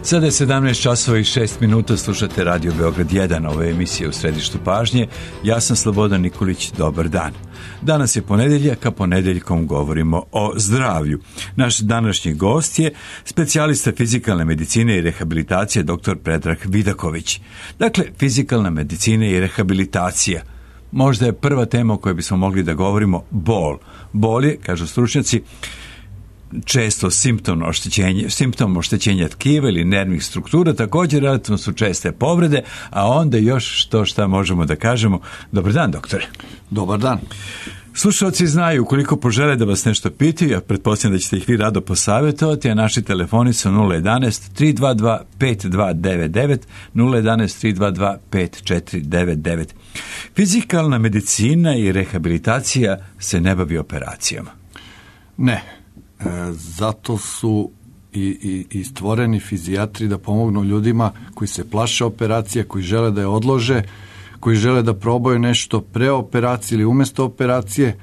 Sada je 17 časova i 6 minuta, slušate Radio Beograd 1, ove emisije u središtu pažnje. Ja sam Slobodan Nikolić, dobar dan. Danas je ponedeljak, a ponedeljkom govorimo o zdravlju. Naš današnji gost je specijalista fizikalne medicine i rehabilitacije dr. Predrag Vidaković. Dakle, fizikalna medicina i rehabilitacija. Možda je prva tema o kojoj bismo mogli da govorimo bol. Bol je, kažu stručnjaci, često simptom oštećenja tkiva ili nervnih struktura, također relativno su česte povrede, a onda još šta možemo da kažemo. Dobar dan, doktore. Dobar dan. Slušalci znaju, ukoliko požele da vas nešto pitaju, ja pretpostavljam da ćete ih vi rado posavjetovati, a naši telefoni su 011-322-5299, 011-322-5499. Fizikalna medicina i rehabilitacija se ne bavi operacijama. Ne. Zato su i stvoreni fizijatri da pomognu ljudima koji se plaše operacije, koji žele da je odlože, koji žele da probaju nešto pre operacije ili umjesto operacije,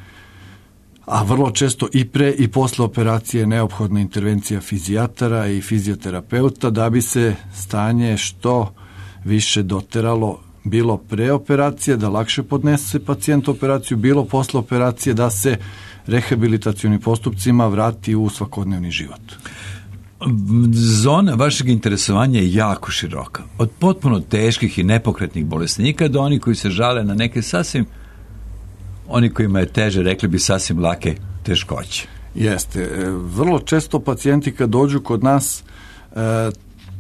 a vrlo često i pre i posle operacije je neophodna intervencija fizijatara i fizioterapeuta da bi se stanje što više doteralo, bilo pre operacije, da lakše podnese pacijent operaciju, bilo posle operacije, da se rehabilitacionim postupcima vrati u svakodnevni život. Zona vašeg interesovanja je jako široka. Od potpuno teških i nepokretnih bolesnika do onih koji se žale na neke sasvim, oni kojima je teže, rekli bi sasvim lake teškoće. Jeste. Vrlo često pacijenti kad dođu kod nas,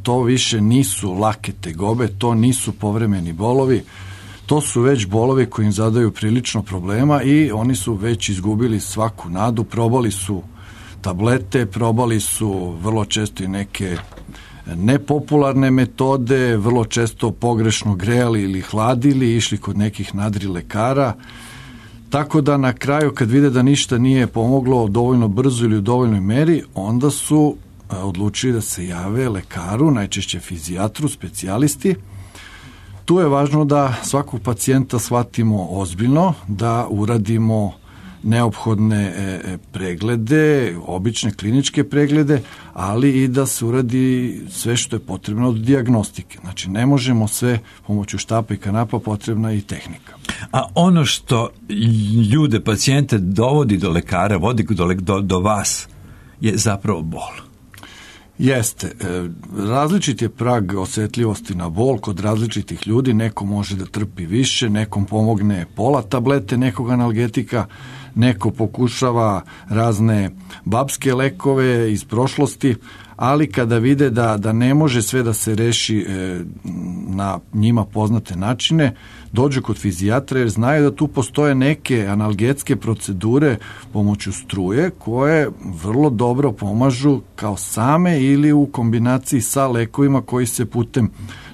to više nisu lake tegobe, to nisu povremeni bolovi, to su već bolovi koji im zadaju prilično problema i oni su već izgubili svaku nadu, probali su tablete, probali su vrlo često i neke nepopularne metode, vrlo često pogrešno grejali ili hladili, išli kod nekih nadrilekara, tako da na kraju kad vide da ništa nije pomoglo dovoljno brzo ili u dovoljnoj meri, onda su odlučili da se jave lekaru, najčešće fizijatru, specijalisti. Tu je važno da svakog pacijenta shvatimo ozbiljno, da uradimo neophodne preglede, obične kliničke preglede, ali i da se uradi sve što je potrebno od dijagnostike. Znači, ne možemo sve pomoću štapa i kanapa, potrebna je i tehnika. A ono što ljude, pacijente dovodi do lekara, vodi do vas, je zapravo bol. Jeste. Različit je prag osjetljivosti na bol kod različitih ljudi. Neko može da trpi više, nekom pomogne pola tablete nekog analgetika, neko pokušava razne babske lekove iz prošlosti, ali kada vide da ne može sve da se reši na njima poznate načine, dođu kod fizijatra jer znaju da tu postoje neke analgetske procedure pomoću struje koje vrlo dobro pomažu kao same ili u kombinaciji sa lekovima koji se putem,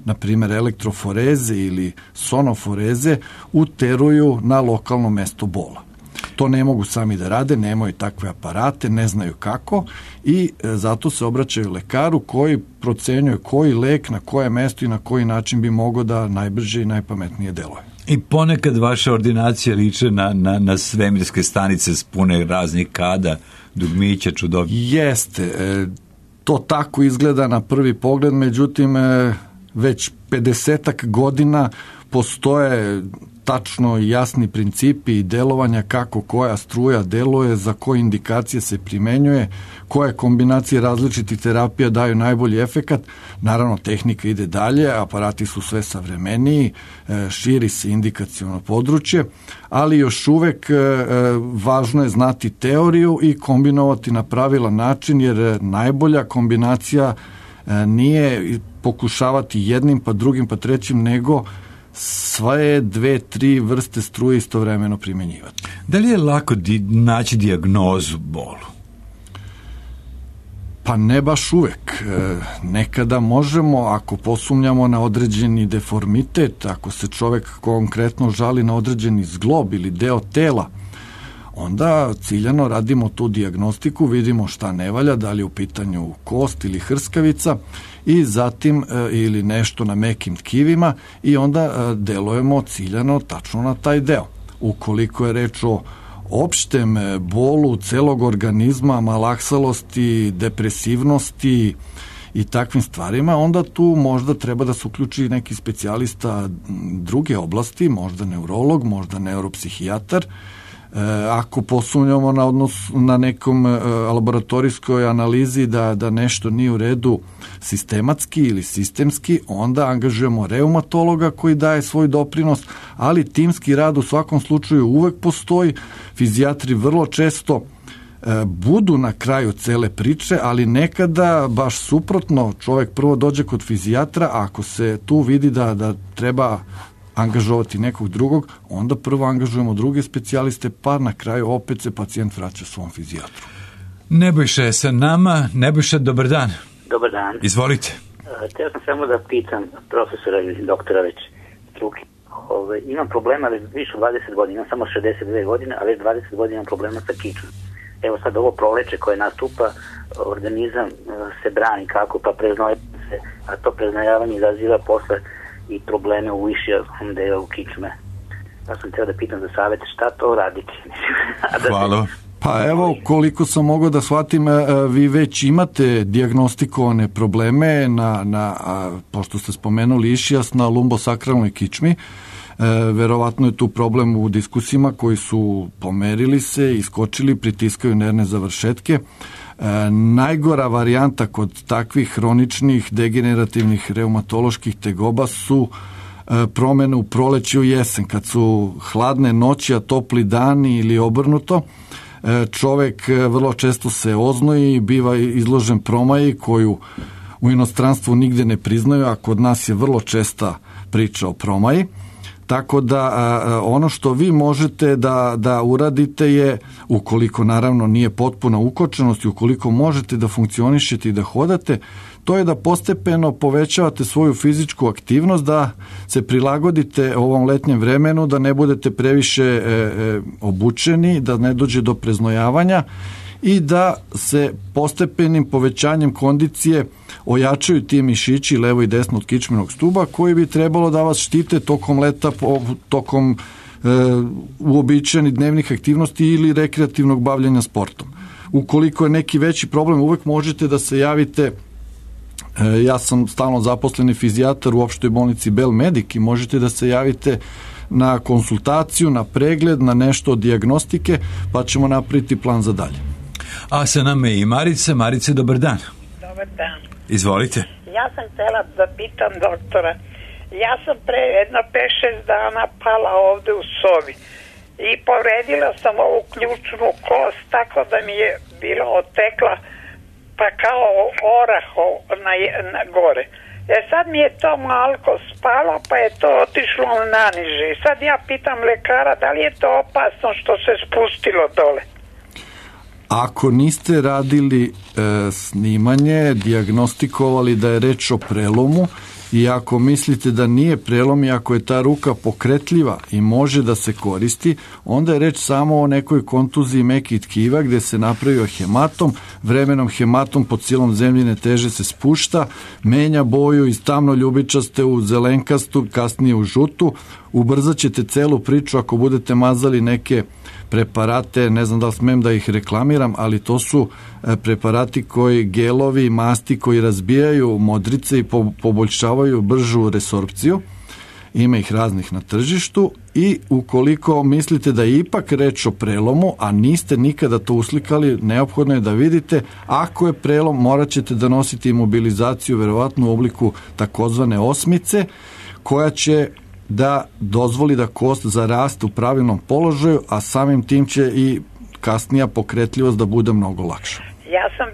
na primjer, elektroforeze ili sonoforeze uteruju na lokalno mesto bola. To ne mogu sami da rade, nemaju takve aparate, ne znaju kako i zato se obraćaju lekaru koji procenjuje koji lek na koje mesto i na koji način bi mogao da najbrže i najpametnije deluje. I ponekad vaša ordinacija liče na svemirske stanice spune raznih kada, dugmića, čudovnja. Jeste, to tako izgleda na prvi pogled, međutim već 50-ak godina postoje tačno jasni principi i delovanja kako koja struja deluje, za koje indikacije se primenjuje, koje kombinacije različitih terapija daju najbolji efekat. Naravno, tehnika ide dalje, aparati su sve savremeniji, širi se indikaciono područje, ali još uvek važno je znati teoriju i kombinovati na pravilan način, jer najbolja kombinacija nije pokušavati jednim pa drugim pa trećim, nego sve 2-3 vrste struje istovremeno primjenjivati. Da li je lako naći dijagnozu bolu? Pa ne baš uvek. Nekada možemo, ako posumnjamo na određeni deformitet, ako se čovek konkretno žali na određeni zglob ili deo tela, onda ciljano radimo tu dijagnostiku, vidimo šta ne valja, da li je u pitanju kost ili hrskavica i zatim ili nešto na mekim tkivima i onda delujemo ciljano tačno na taj deo. Ukoliko je reč o opštem bolu celog organizma, malaksalosti, depresivnosti i takvim stvarima, onda tu možda treba da se uključi neki specijalista druge oblasti, možda neurolog, možda neuropsihijatar. Ako posumnjamo na nekom laboratorijskoj analizi da nešto nije u redu sistematski ili sistemski, onda angažujemo reumatologa koji daje svoj doprinos, ali timski rad u svakom slučaju uvek postoji. Fizijatri vrlo često budu na kraju cele priče, ali nekada baš suprotno, čovjek prvo dođe kod fizijatra, a ako se tu vidi da treba angažovati nekog drugog, onda prvo angažujemo druge specijaliste, pa na kraju opet se pacijent vraća svom fizijatru. Nebojša je sa nama. Nebojša, dobar dan. Dobar dan. Izvolite. Htio sam samo da pitam profesora ili doktora već struke. Imam problema više od 20 godina, imam samo 62 godine, a već 20 godina imam problema sa kičom. Evo sad ovo proleće koje nastupa, organizam se brani kako, pa preznoje se, a to preznojavanje izaziva posle i probleme u višijom delu kičme. Ja sam htio da pitam za savjet šta to raditi. Hvala. Pa evo, koliko sam mogao da shvatim, vi već imate dijagnostikovane probleme pošto ste spomenuli išijas na lumbosakralnoj kičmi. Verovatno je tu problem u diskusima koji su pomerili se, iskočili, pritiskaju nervne završetke. Najgora varijanta kod takvih hroničnih degenerativnih reumatoloških tegoba su promjene u proleće u jesen, kad su hladne noći, a topli dani ili obrnuto. Čovek vrlo često se oznoji, biva izložen promaji koju u inostranstvu nigde ne priznaju, a kod nas je vrlo česta priča o promaji. Tako da ono što vi možete da uradite je, ukoliko naravno nije potpuna ukočenost i ukoliko možete da funkcionišete i da hodate, to je da postepeno povećavate svoju fizičku aktivnost, da se prilagodite ovom letnjem vremenu, da ne budete previše obučeni, da ne dođe do preznojavanja i da se postepenim povećanjem kondicije ojačaju ti mišići levo i desno od kičmenog stuba koji bi trebalo da vas štite tokom leta, tokom uobičajenih dnevnih aktivnosti ili rekreativnog bavljenja sportom. Ukoliko je neki veći problem, uvek možete da se javite. Ja sam stalno zaposleni fizijatar u opštoj bolnici Belmedik i možete da se javite na konsultaciju, na pregled, na nešto od dijagnostike, pa ćemo napraviti plan za dalje. A sa nama je i Marica. Marice, dobar dan. Dobar dan. Izvolite. Ja sam htjela da pitam doktora. Ja sam pre jedno 5-6 dana pala ovde u sobi i povredila sam ovu ključnu kost tako da mi je bila otekla pa kao oraho na gore. Sad mi je to malko spalo pa je to otišlo naniže. Sad ja pitam lekara da li je to opasno što se spustilo dole. Ako niste radili snimanje, dijagnostikovali da je reč o prelomu i ako mislite da nije prelom i ako je ta ruka pokretljiva i može da se koristi, onda je reč samo o nekoj kontuziji mekih tkiva gdje se napravio hematom, vremenom hematom pod silom zemljine teže se spušta, menja boju iz tamno ljubičaste u zelenkastu, kasnije u žutu, ubrzat ćete celu priču ako budete mazali neke preparate, ne znam da li smem da ih reklamiram, ali to su preparati koji, gelovi, masti koji razbijaju modrice i poboljšavaju bržu resorpciju. Ima ih raznih na tržištu i ukoliko mislite da je ipak reč o prelomu, a niste nikada to uslikali, neophodno je da vidite. Ako je prelom, morat ćete da nosite imobilizaciju, verovatno u obliku takozvane osmice, koja će da dozvoli da kost zaraste u pravilnom položaju, a samim tim će i kasnija pokretljivost da bude mnogo lakša. Ja sam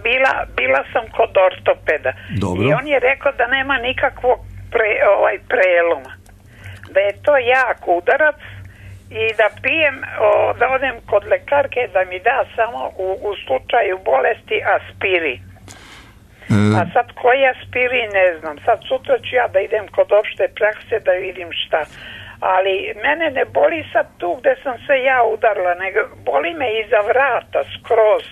bila sam kod ortopeda. Dobro. I on je rekao da nema nikakvog preloma. Da je to jak udarac i da pijem, da odem kod lekarke da mi da samo u slučaju bolesti aspirin. A sad koji aspirin ne znam. Sad sutra ću ja da idem kod opšte prakse da vidim šta. Ali mene ne boli sad tu gde sam se ja udarila, nego boli me iza vrata skroz,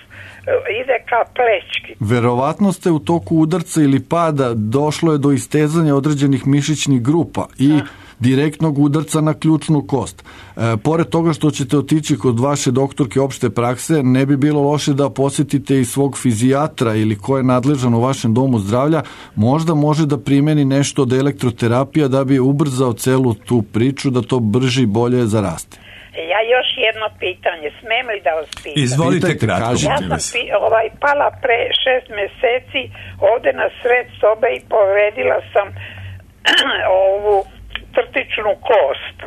ide ka plećki. Verovatno ste u toku udarca ili pada došlo je do istezanja određenih mišićnih grupa i direktnog udarca na ključnu kost. Pored toga što ćete otići kod vaše doktorke opšte prakse, ne bi bilo loše da posjetite i svog fizijatra ili ko je nadležan u vašem domu zdravlja, možda može da primeni nešto od elektroterapija da bi ubrzao celu tu priču, da to brže i bolje zaraste. Ja još jedno pitanje, smem li da vas pitam? Izvolite kratko. Ja sam pala pre 6 meseci ovde na sred sobe i povredila sam ovu trtičnu kost.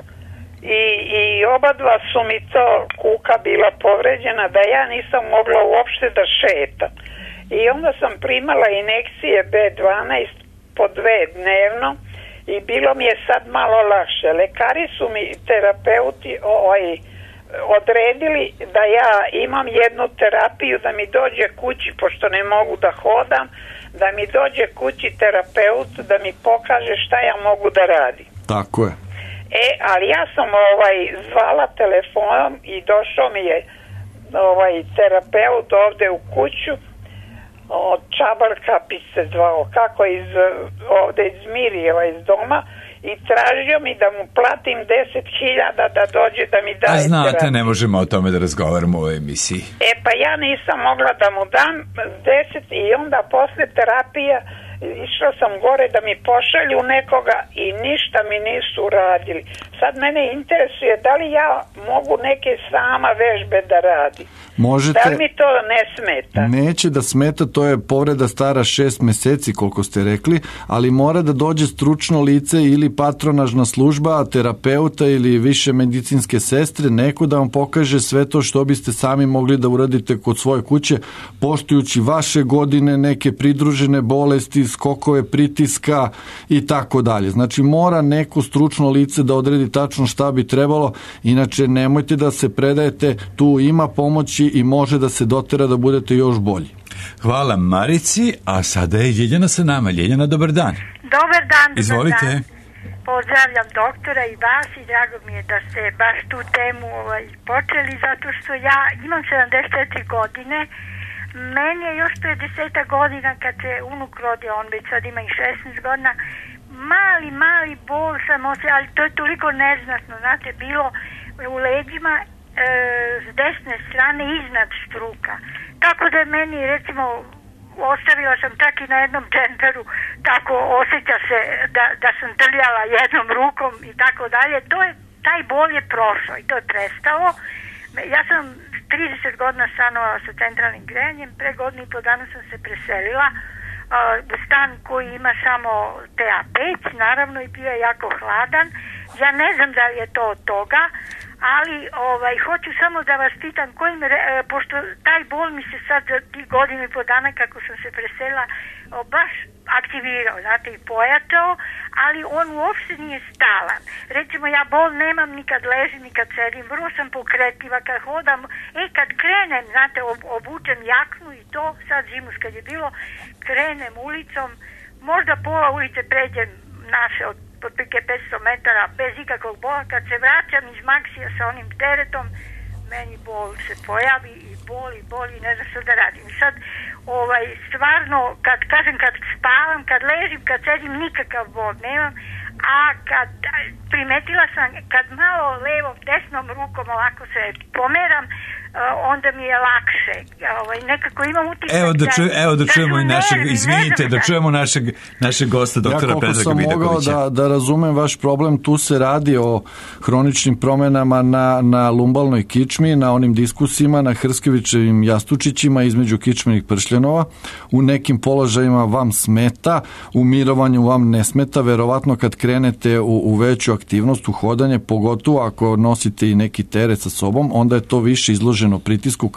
I oba dva su mi to kuka bila povređena da ja nisam mogla uopšte da šetam. I onda sam primala injekcije B12 po 2 dnevno i bilo mi je sad malo lakše. Lekari su mi, terapeuti, odredili da ja imam jednu terapiju, da mi dođe kući, pošto ne mogu da hodam, da mi dođe kući terapeut da mi pokaže šta ja mogu da radim. Tako je. Ali ja sam zvala telefonom i došao mi je terapeut ovde u kuću, od Čabar Kapić se zvao, kako ovde iz Mirijeva, iz doma, i tražio mi da mu platim 10.000 da dođe da mi daje. A znate, terapiju. Ne možemo o tome da razgovaramo u emisiji. Pa ja nisam mogla da mu dam 10 i onda posle terapija išla sam gore da mi pošalju nekoga i ništa mi nisu uradili. Sad mene interesuje da li ja mogu neke sama vežbe da radim. Možete, da li mi to ne smeta? Neće da smeta, to je povreda stara 6 meseci koliko ste rekli, ali mora da dođe stručno lice ili patronažna služba, terapeuta ili više medicinske sestre, neko da vam pokaže sve to što biste sami mogli da uradite kod svoje kuće, poštujući vaše godine, neke pridružene bolesti, skokove pritiska i tako dalje. Znači mora neko stručno lice da odredi tačno šta bi trebalo, inače nemojte da se predajete, tu ima pomoći i može da se dotera da budete još bolji. Hvala Marici, a sada je Ljeljana sa nama. Ljeljana, dobar dan. Dobar dan. Izvolite. Dan. Pozdravljam doktora i vas i drago mi je da ste baš tu temu počeli, zato što ja imam 74 godine. Meni je još pre 10 godina kad se unuk rodio, on već sad ima i 16 godina, mali bol sam osjećala, ali to je toliko neznatno, znate, bilo u leđima s desne strane iznad struka. Tako da meni, recimo, ostavila sam čak i na jednom džemperu, tako osjeća se da sam trljala jednom rukom i tako dalje. Taj bol je prošao i to je prestalo. Ja sam 30 godina stanovala sa centralnim grejanjem, pre godinu i po dana sam se preselila u stan koji ima samo TA5, naravno, i bio je jako hladan. Ja ne znam da li je to od toga, ali hoću samo da vas pitam pošto taj bol mi se sad za tih godinu i po dana kako sam se preselila baš aktivirao, znate, i pojačao, ali on uopšte nije stalan. Recimo, ja bol nemam ni kad ležim, ni kad sedim, vrlo sam pokretljiva kad hodam, kad krenem, znate, obučem jaknu i to, sad zimus kad je bilo, krenem ulicom, možda pola ulice pređem naše od otprilike 500 metara bez ikakvog bola, kad se vraćam iz Maksija sa onim teretom, meni bol se pojavi i boli, ne znam što da radim. Sad, stvarno, kad spavam, kad ležim, kad sedim, nikakav bol nemam, a kad primetila sam, kad malo levom, desnom rukom ovako se pomeram, onda mi je lakše. Nekako imam utisak da čujemo i našeg, izvinite, da čujemo našeg gosta, doktora Predraga Vidakovića. Ja koliko sam mogao da razumem vaš problem, tu se radi o hroničnim promenama na lumbalnoj kičmi, na onim diskusima, na Hrskjevićevim jastučićima između kičmenih pršljanova. U nekim položajima vam smeta, u mirovanju vam ne smeta, verovatno kad krenete u veću aktivnost, u hodanje, pogotovo ako nosite i neki teret sa sobom, onda je to više izloženo pritisku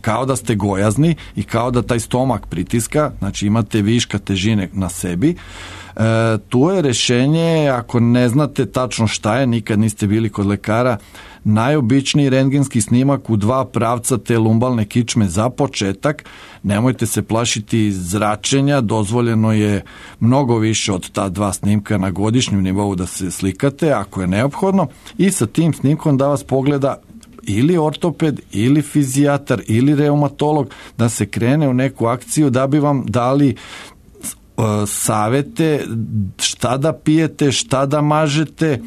kao da ste gojazni i kao da taj stomak pritiska, znači imate viška težine na sebi. Tu je rešenje, ako ne znate tačno šta je, nikad niste bili kod lekara, najobičniji rentgenski snimak u 2 pravca te lumbalne kičme za početak. Nemojte se plašiti zračenja, dozvoljeno je mnogo više od ta 2 snimka na godišnjem nivou da se slikate ako je neophodno, i sa tim snimkom da vas pogleda ili ortoped, ili fizijatar, ili reumatolog, da se krene u neku akciju da bi vam dali savete šta da pijete, šta da mažete,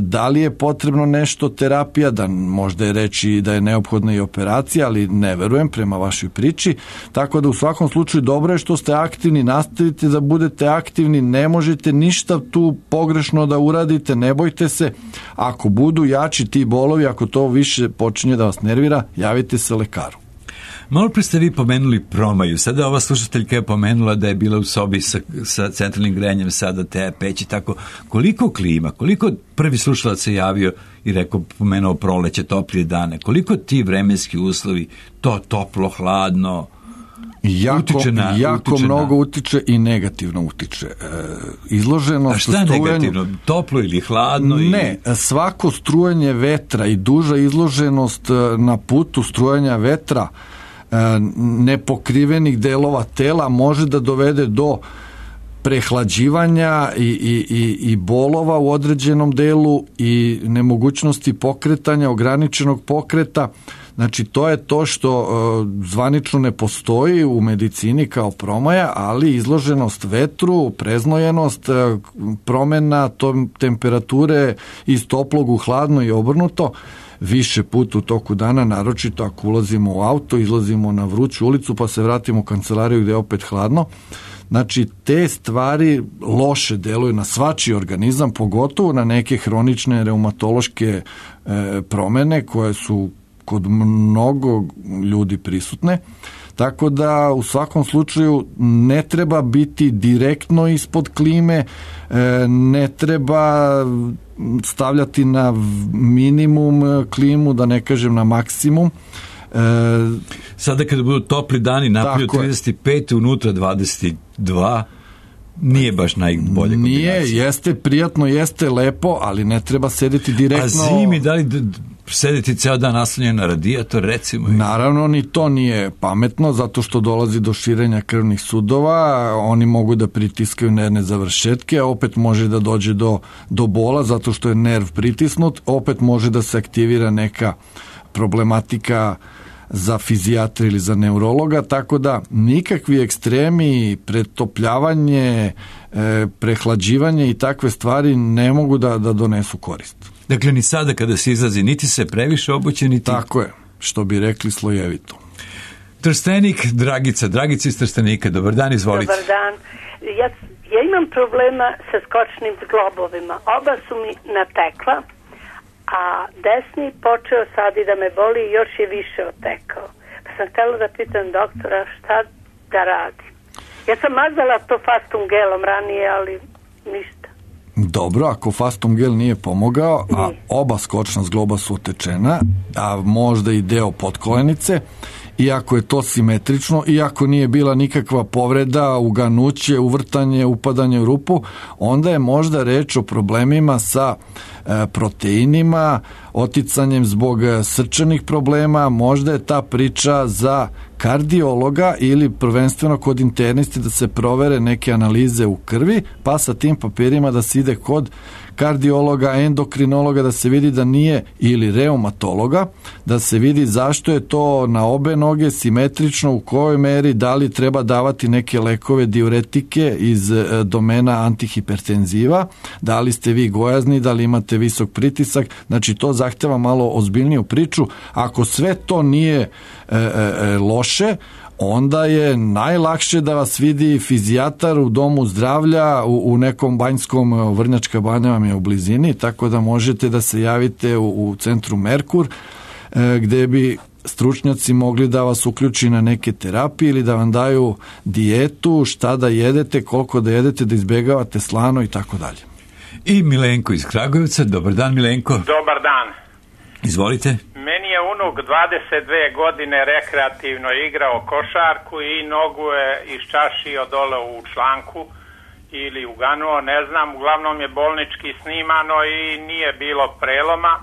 da li je potrebno nešto terapija, da možda je reći da je neophodna i operacija, ali ne verujem prema vašoj priči, tako da u svakom slučaju dobro je što ste aktivni, nastavite da budete aktivni, ne možete ništa tu pogrešno da uradite, ne bojte se, ako budu jači ti bolovi, ako to više počinje da vas nervira, javite se lekaru. Malo pre ste vi pomenuli promaju. Sada ova slušateljka je pomenula da je bila u sobi sa centralnim grejanjem, sada te peć i tako. Koliko klima, koliko prvi slušalac se javio i pomenuo proleće, toplije dane, koliko ti vremenski uslovi, to toplo, hladno, jako mnogo utiče i negativno utiče. Izloženost. A šta je negativno? Toplo ili hladno? Ne, svako strujanje vetra i duža izloženost na putu strujanja vetra nepokrivenih delova tela može da dovede do prehlađivanja i bolova u određenom delu i nemogućnosti pokretanja, ograničenog pokreta. Znači, to je to što zvanično ne postoji u medicini kao promaja, ali izloženost vetru, preznojenost, promena temperature iz toplog u hladno i obrnuto, više puta u toku dana, naročito ako ulazimo u auto, izlazimo na vruću ulicu pa se vratimo u kancelariju gde je opet hladno. Znači, te stvari loše deluju na svačiji organizam, pogotovo na neke hronične reumatološke promene koje su kod mnogo ljudi prisutne. Tako da u svakom slučaju ne treba biti direktno ispod klime, ne treba stavljati na minimum klimu, da ne kažem na maksimum. Sada kada budu topli dani, napolju 35, unutra 22, nije baš najbolje kombinacija. Nije, jeste prijatno, jeste lepo, ali ne treba sedeti direktno. A zimi, da li sedeti ceo dan naslonjen na radijator, recimo? Naravno, ni to nije pametno, zato što dolazi do širenja krvnih sudova, oni mogu da pritiskaju nervne završetke, a opet može da dođe do bola, zato što je nerv pritisnut, opet može da se aktivira neka problematika za fizijatra ili za neurologa, tako da nikakvi ekstremi, pretopljavanje, prehlađivanje i takve stvari ne mogu da donesu korist. Dakle, ni sada kada se izlazi, niti se previše obuće, niti... Tako je, što bi rekli slojevito. Trstenik, Dragica iz Trstenika, dobar dan, izvolite. Dobar dan. Ja imam problema sa skočnim zglobovima. Oba su mi natekla, a desni počeo sad i da me boli i još je više otekao. Pa sam htjela da pitam doktora šta da radi. Ja sam mazala to fastum gelom ranije, ali ništa. Dobro, ako fastum gel nije pomogao, a oba skočna zgloba su otečena, a možda i deo potkolenice, iako je to simetrično, iako nije bila nikakva povreda, uganuće, uvrtanje, upadanje u rupu, onda je možda reč o problemima sa proteinima, oticanjem zbog srčanih problema, možda je ta priča za kardiologa ili prvenstveno kod internisti da se provere neke analize u krvi, pa sa tim papirima da se ide kod kardiologa, endokrinologa, da se vidi da nije, ili reumatologa, da se vidi zašto je to na obe noge simetrično, u kojoj meri, da li treba davati neke lekove diuretike iz domena antihipertenziva, da li ste vi gojazni, da li imate visok pritisak, znači to zahteva malo ozbiljniju priču. Ako sve to nije loše, onda je najlakše da vas vidi fizijatar u domu zdravlja u nekom banjskom, Vrnjačka banja vam je u blizini, tako da možete da se javite u centru Merkur, gde bi stručnjaci mogli da vas uključi na neke terapije ili da vam daju dijetu, šta da jedete, koliko da jedete, da izbegavate slano i tako dalje. I Milenko iz Kragujevca. Dobar dan, Milenko. Dobar dan. Izvolite. Meni je unuk 22 godine rekreativno igrao košarku i nogu je iščašio dole u članku ili uganuo, ne znam, uglavnom je bolnički snimano i nije bilo preloma.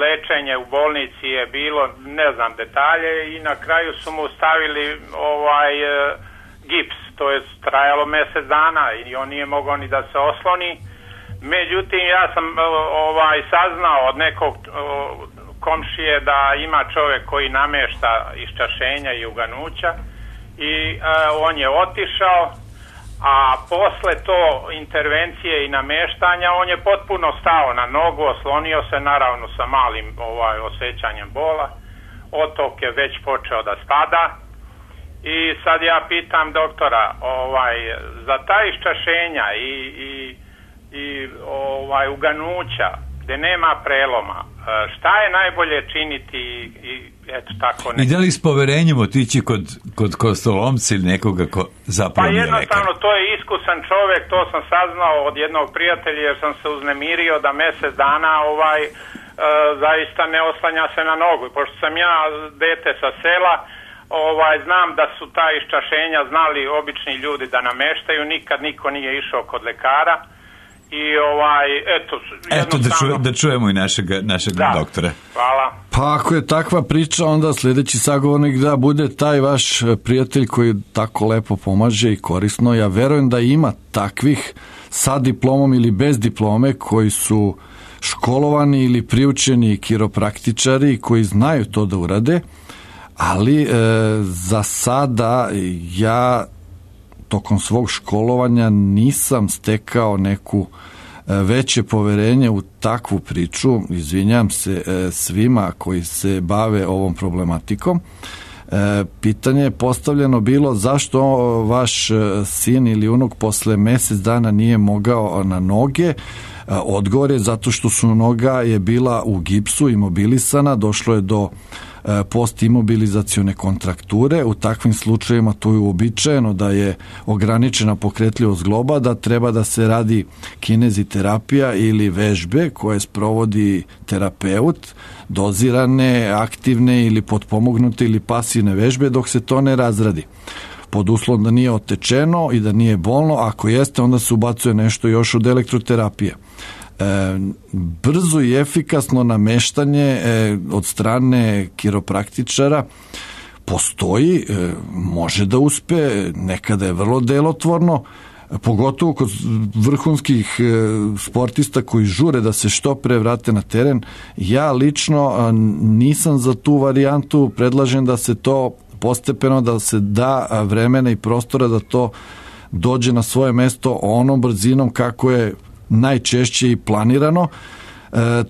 Lečenje u bolnici je bilo, ne znam detalje, i na kraju su mu stavili gips, to je trajalo mjesec dana i on nije mogao ni da se osloni. Međutim, ja sam saznao od nekog komšije da ima čovjek koji namješta iščašenja i uganuća i on je otišao, a posle to intervencije i nameštanja on je potpuno stao na nogu, oslonio se naravno sa malim osjećanjem bola, otok je već počeo da spada i sad ja pitam doktora, za ta iščašenja i uganuća gde nema preloma, šta je najbolje činiti i eto tako ne. I da li s poverenjem otići kod kostolomca ili nekoga ko zapravo nije lekar? Pa jednostavno to je iskusan čovjek, to sam saznao od jednog prijatelja jer sam se uznemirio da mjesec dana zaista ne oslanja se na nogu. Pošto sam ja dete sa sela, znam da su ta iščašenja znali obični ljudi da nameštaju, nikad niko nije išao kod lekara. I eto da čujemo i našeg doktora. Hvala. Pa ako je takva priča, onda sljedeći sagovornik da bude taj vaš prijatelj koji tako lepo pomaže i korisno. Ja verujem da ima takvih sa diplomom ili bez diplome koji su školovani ili priučeni kiropraktičari koji znaju to da urade, ali za sada ja tokom svog školovanja nisam stekao neku veće poverenje u takvu priču. Izvinjam se svima koji se bave ovom problematikom. Pitanje je postavljeno bilo zašto vaš sin ili unuk posle mjesec dana nije mogao na noge. Odgovor je zato što su noga je bila u gipsu, imobilisana, došlo je do postimobilizacione kontrakture. U takvim slučajevima to je uobičajeno da je ograničena pokretljivost zgloba, da treba da se radi kineziterapija ili vežbe koje sprovodi terapeut, dozirane, aktivne ili potpomognute ili pasivne vežbe dok se to ne razradi. Pod uslovom da nije otečeno i da nije bolno, ako jeste onda se ubacuje nešto još od elektroterapije. Brzo i efikasno nameštanje od strane kiropraktičara postoji, može da uspe, nekada je vrlo delotvorno, pogotovo kod vrhunskih sportista koji žure da se što pre vrate na teren. Ja lično nisam za tu varijantu, predlažem da se to postepeno, da se da vremena i prostora da to dođe na svoje mesto onom brzinom kako je najčešće i planirano.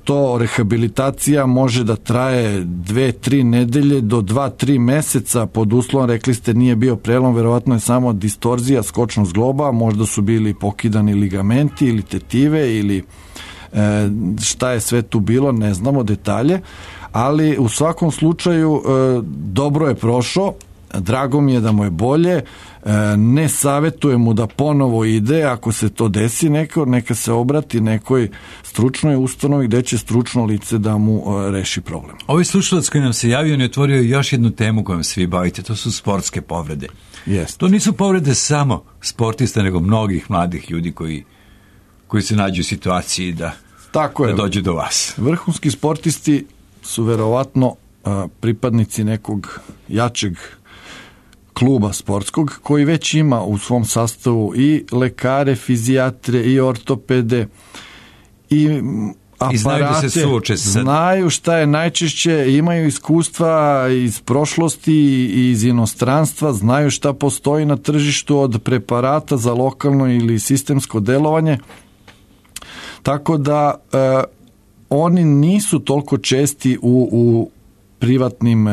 To rehabilitacija može da traje 2-3 nedelje do 2-3 meseca pod uslovom, rekli ste nije bio prelom, verovatno je samo distorzija skočnog zgloba, možda su bili pokidani ligamenti ili tetive ili šta je sve tu bilo, ne znamo detalje, ali u svakom slučaju dobro je prošao, drago mi je da mu je bolje, ne savjetujem mu da ponovo ide, ako se to desi neka se obrati nekoj stručnoj ustanovi gdje će stručno lice da mu reši problem. Ovaj slušalac koji nam se javio ne otvorio još jednu temu kojom se vi bavite, to su sportske povrede. Jest. To nisu povrede samo sportista, nego mnogih mladih ljudi koji se nađu u situaciji da dođe do vas. Vrhunski sportisti su verovatno pripadnici nekog jačeg kluba sportskog koji već ima u svom sastavu i lekare, fizijatre i ortopede i aparate, znaju da se suoče znaju šta je najčešće, imaju iskustva iz prošlosti i iz inostranstva, znaju šta postoji na tržištu od preparata za lokalno ili sistemsko delovanje, tako da oni nisu toliko česti u privatnim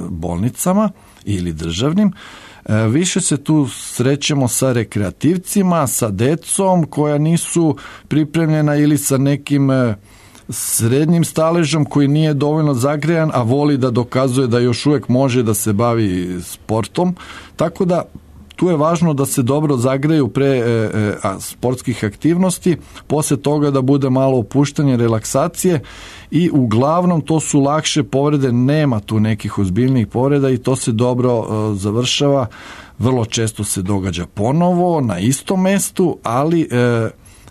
bolnicama ili državnim. Više se tu srećemo sa rekreativcima, sa decom koja nisu pripremljena ili sa nekim srednjim staležom koji nije dovoljno zagrejan, a voli da dokazuje da još uvijek može da se bavi sportom. Tako da tu je važno da se dobro zagreju pre sportskih aktivnosti, poslije toga da bude malo opuštanje, relaksacije i uglavnom to su lakše povrede, nema tu nekih ozbiljnijih povreda i to se dobro završava. Vrlo često se događa ponovo na istom mestu, ali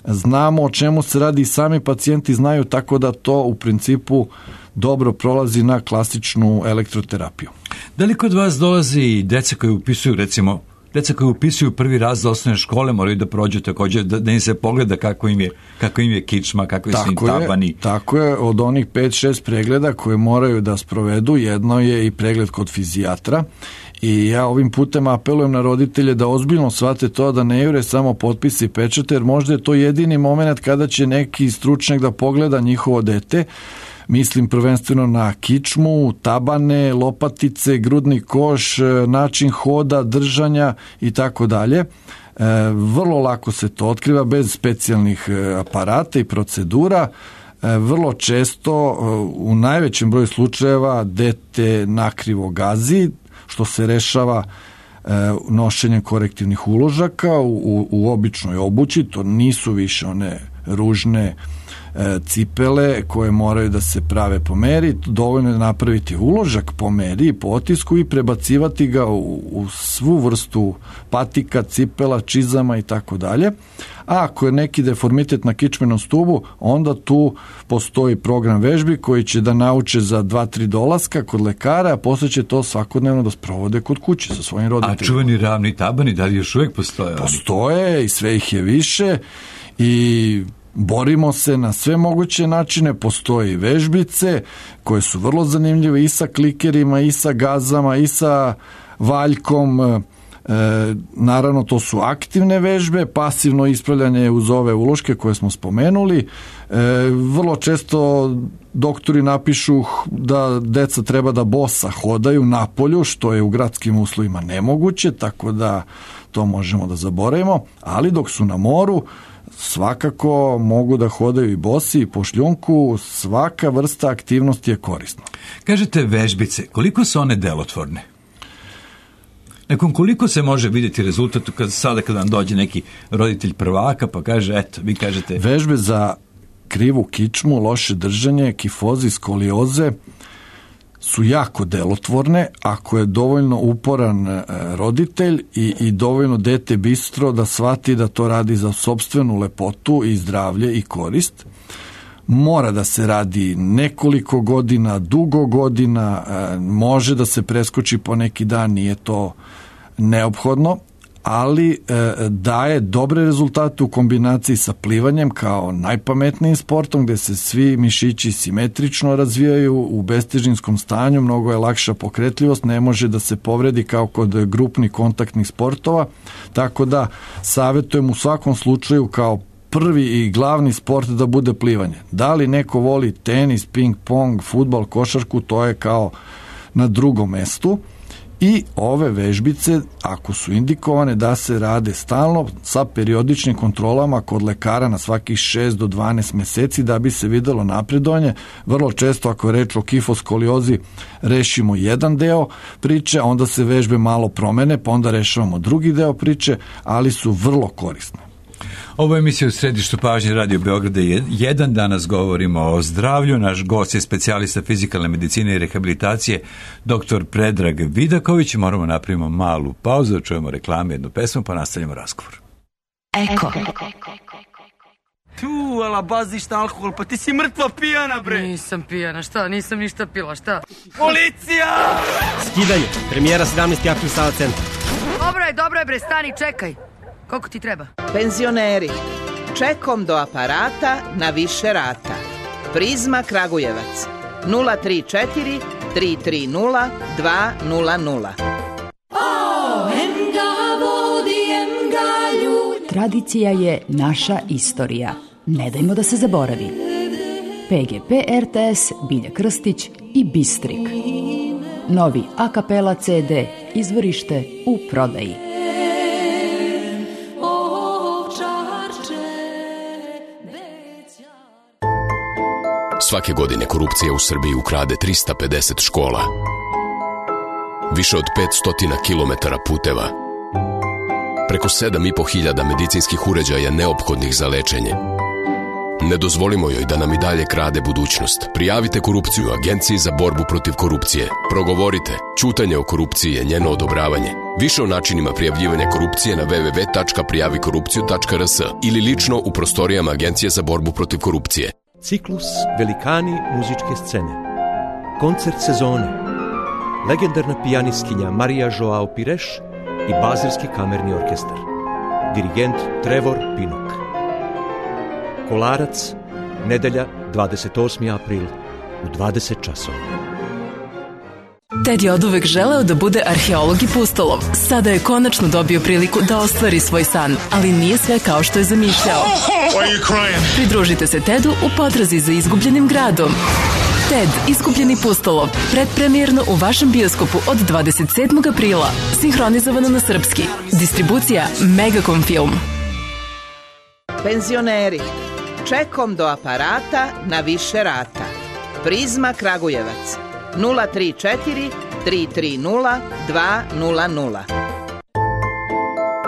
znamo o čemu se radi i sami pacijenti znaju, tako da to u principu dobro prolazi na klasičnu elektroterapiju. Da li kod vas dolazi i deca koji upisuju, recimo, deca koji upisuju prvi razred osnovne škole moraju da prođu također, da im se pogleda kako im je kičma, kako su im tabani? Tako je, od onih 5-6 pregleda koje moraju da sprovedu, jedno je i pregled kod fizijatra I ja ovim putem apelujem na roditelje da ozbiljno shvate to, da ne jure samo potpisi i pečate, jer možda je to jedini moment kada će neki stručnjak da pogleda njihovo dete. Mislim prvenstveno na kičmu, tabane, lopatice, grudni koš, način hoda, držanja i tako dalje. Vrlo lako se to otkriva bez specijalnih aparata i procedura. Vrlo često, u najvećem broju slučajeva, dete nakrivo gazi, što se rešava nošenjem korektivnih uložaka u običnoj obući. To nisu više one ružne cipele koje moraju da se prave po meri. Dovoljno je napraviti uložak po meri i po otisku i prebacivati ga u svu vrstu patika, cipela, čizama i tako dalje. A ako je neki deformitet na kičmenom stubu, onda tu postoji program vežbi koji će da nauče za 2-3 dolaska kod lekara, a posle će to svakodnevno da sprovode kod kuće sa svojim roditeljima. A čuveni ravni tabani, da li još uvijek postoje? Postoje i sve ih je više i borimo se na sve moguće načine. Postoje i vežbice koje su vrlo zanimljive i sa klikerima, i sa gazama, i sa valjkom. Naravno, to su aktivne vežbe, pasivno ispravljanje uz ove uloške koje smo spomenuli. Vrlo često doktori napišu da deca treba da bosa hodaju napolju, što je u gradskim uslovima nemoguće, tako da to možemo da zaboravimo, ali dok su na moru svakako mogu da hodaju i bosi i po šljunku, svaka vrsta aktivnosti je korisna. Kažete vežbice, koliko su one delotvorne? Nakon koliko se može vidjeti rezultat sada kada vam dođe neki roditelj prvaka pa kaže, eto, vi kažete... Vežbe za krivu kičmu, loše držanje, kifozi, skolioze su jako delotvorne ako je dovoljno uporan roditelj i dovoljno dete bistro da shvati da to radi za sopstvenu lepotu i zdravlje i korist. Mora da se radi nekoliko godina, dugo godina, može da se preskoči po neki dan, nije to neophodno, ali daje dobre rezultate u kombinaciji sa plivanjem kao najpametnijim sportom gdje se svi mišići simetrično razvijaju u bestežinskom stanju, mnogo je lakša pokretljivost, ne može da se povredi kao kod grupnih kontaktnih sportova, tako da savjetujem u svakom slučaju kao prvi i glavni sport da bude plivanje. Da li neko voli tenis, ping pong, fudbal, košarku, to je kao na drugom mestu. I ove vežbice, ako su indikovane, da se rade stalno sa periodičnim kontrolama kod lekara na svakih 6 do 12 meseci da bi se videlo napredovanje. Vrlo često ako je reč o kifoskoliozi rešimo jedan deo priče, onda se vežbe malo promene, pa onda rešavamo drugi deo priče, ali su vrlo korisne. Ovo je emisija u središtu pažnje Radio Beograda 1. Danas govorimo o zdravlju. Naš gost je specijalista fizikalne medicine i rehabilitacije, dr. Predrag Vidaković. Moramo napravimo malu pauzu, da čujemo reklame, jednu pesmu, pa nastavljamo razgovor. Eko. Tu, ala baziš na alkohol, pa ti si mrtva pijana, bre. Nisam pijana, šta? Nisam ništa pila, šta? Policija! Skidanje, premijera 17. april Sava centar. Dobro je bre, stani, čekaj. Koliko ti treba? Penzioneri, čekom do aparata na više rata. Prizma Kragujevac, 034 330 200. Tradicija je naša istorija. Ne dajmo da se zaboravi. PGP RTS, Bilja Krstić i Bistrik. Novi a kapela CD, izvorište u prodaji. Svake godine korupcija u Srbiji ukrade 350 škola, više od 500 kilometara puteva, preko 7.500 medicinskih uređaja neophodnih za lečenje. Ne dozvolimo joj da nam i dalje krade budućnost. Prijavite korupciju Agenciji za borbu protiv korupcije. Progovorite. Ćutanje o korupciji je njeno odobravanje. Više o načinima prijavljivanja korupcije na www.prijavikorupciju.rs ili lično u prostorijama Agencije za borbu protiv korupcije. Ciklus Velikani muzičke scene. Koncert sezone. Legendarna pijanistkinja Marija Joao Pires i Bazilski kamerni orkestar. Dirigent Trevor Pinnock. Kolarac, nedelja 28. april u 20 časova. Ted je oduvek želeo da bude arheolog i pustolov. Sada je konačno dobio priliku da ostvari svoj san, ali nije sve kao što je zamišljao. Pridružite se Tedu u potrazi za izgubljenim gradom. Ted, izgubljeni pustolov, predpremijerno u vašem bioskopu od 27. aprila. Sinhronizovano na srpski. Distribucija Megacom Film. Penzioneri, čekom do aparata na više rata. Prizma Kragujevac 034 330 200.